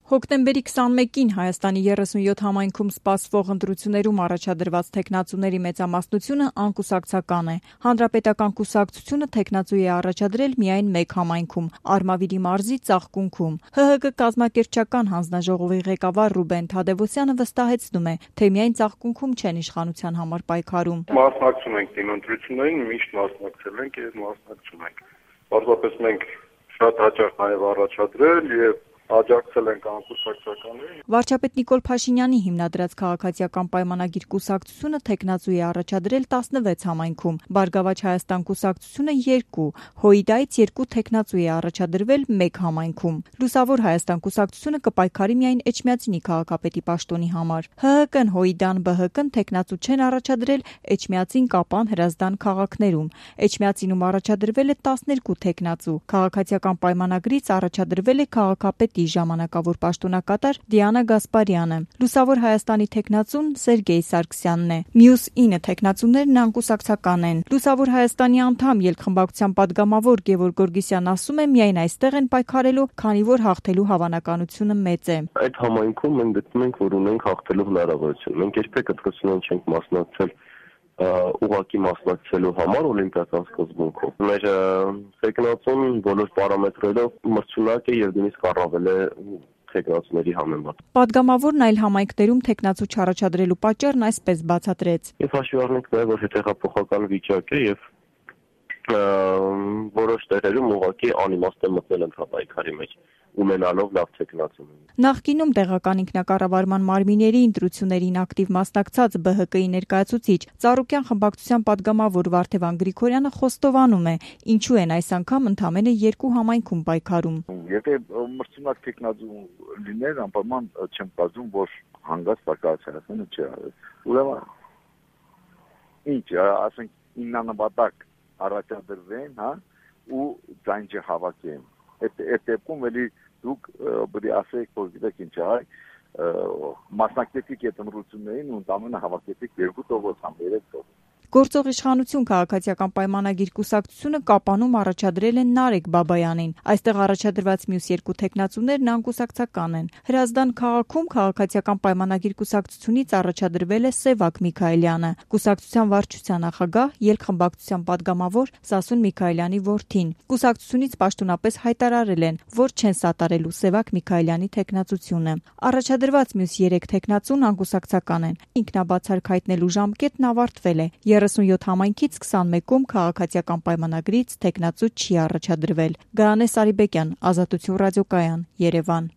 Հոկտեմբերի 21-ին Հայաստանի 37 համայնքում սպասվող ընտրություններում առաջադրված թեկնածուների մեծամասնությունը անկուսակցական է։ Հանրապետական կուսակցությունը թեկնածու է առաջադրել միայն մեկ համայնքում՝ Արմավիրի մարզի Ծաղկունքում։ ՀՀԿ կազմակերպչական հանձնաժողովի ղեկավար Ռուբեն Թադևոսյանը վստահեցնում է, թե միայն Ծաղկունքում չեն իշխանության համար պայքարում։ Մասնակցում ենք իմ ընտրություններին, միշտ մասնակցել ենք եւ մասնակցում ենք։ Պարզապես մենք շատ հաճախ նաեւ առաջադրել եւ աջակցել ենք անկուսակցականներին։ Վարչապետ Նիկոլ Փաշինյանի հիմնադրած քաղաքացիական պայմանագիր կուսակցությունը թեկնածու է առաջադրել 16 համայնքում, Բարգավաճ Հայաստան կուսակցությունը 2, Հոիդայից 2 թեկնածու է առաջադրվել 1 համայնքում։ Լուսավոր Հայաստան կուսակցությունը կպայքարի միայն Էջմիածինի քաղաքապետի պաշտոնի համար։ ՀՀԿ-ն, Հոիդան, ԲՀԿ-ն թեկնածու չեն առաջադրել Էջմիածին, Կապան, Հրազդան քաղաքներում։ Էջմիածինում առաջադրվել է 12 թեկնածու։ Քաղաքացիական պայմանագրից առաջադրվել է քաղաքապետ ժամանակավոր պաշտոնակատար Դիանա Գասպարյանը։ Լուսավոր Հայաստանի թեկնածուն Սերգեյ Սարգսյանն է։ Մյուս 9 թեկնածուներն անկուսակցական են։ Լուսավոր Հայաստանի անդամ ելքխմբակցության падգամավոր Գևորգ Գորգիսյանն ասում է, միայն այստեղ են պայքարելու, քանի որ հաղթելու հավանականությունը մեծ է։ Այդ համայնքում մենք գտնում ենք, որ ունենք հաղթելու հնարավորություն։ Մենք երբեք կրկնություն չենք մասնակցել ուղղակի մասնակցելու համար օլիմպիական սկզբունքով։ Մեր թեկնածուն բոլոր պարամետրերով մրցունակ է եւ նույնիսկ առավել է թեկնածուների համեմատ։ Պատգամավորն այլ համայնքներում թեկնածու չառաջադրելու պատճառն այսպես բացատրեց։ Եվ հաշվի առնենք նաեւ, որ հետեղափոխական վիճակ է եւ որոշ տեղերում ուղղակի անիմաստ է մտնել ընտրապայքարի մեջ, ունենալով լավ թեկնածու։ Նախկինում տեղական ինքնակառավարման մարմինների ընտրություններին ակտիվ մասնակցած ԲՀԿ-ի ներկայացուցիչ Ծառուկյան խմբակցության падգամավոր Վարդևան Գրիգորյանը խոստովանում է, ինչու են այս անգամ ընդամենը 2 համայնքում պայքարում։ Եթե մրցունակ թեկնածու լիներ, անպայման չեմ կարծում, որ հանգած պայքարացիանը չի արել։ Ուրեմն ինչ, ասենք իննանպատակ առաջադրվեն, հա, ու ձայն չհավաքեն։ Այդ դեպքում էլի դուք բրի ասեք, որ գիտեք ինչ է, մասնակցեք այդ ընտրություններին ու ընդամենը հավաքեցիք 2% կամ 3%։ Գործող իշխանություն քաղաքացիական պայմանագիր կուսակցությունը Կապանում առաջադրել է Նարեկ Բաբայանին։ Այստեղ առաջադրված մյուս 2 թեկնածուներն անկուսակցական են։ Հրազդան քաղաքում քաղաքացիական պայմանագիր կուսակցությունից առաջադրվել է Սևակ Միքայելյանը, կուսակցության վարչության նախագահ, ելքխմբակցության падգամավոր Սասուն Միքայելյանի որդին։ Կուսակցությունից պաշտոնապես հայտարարել են, որ չեն սատարելու Սևակ Միքայելյանի թեկնածությունը։ Առաջադրված մյուս 3 թեկնածուն անկուսակցական են։ Ինքնաբացարկ հայտնելու ժամկետն ավարտվել է։ 37 համայնքից 21-ում քաղաքացիական պայմանագրից թեկնածու չի առաջադրվել։ Գայանե Սարիբեկյան, Ազատություն ռադիոկայան, Երևան։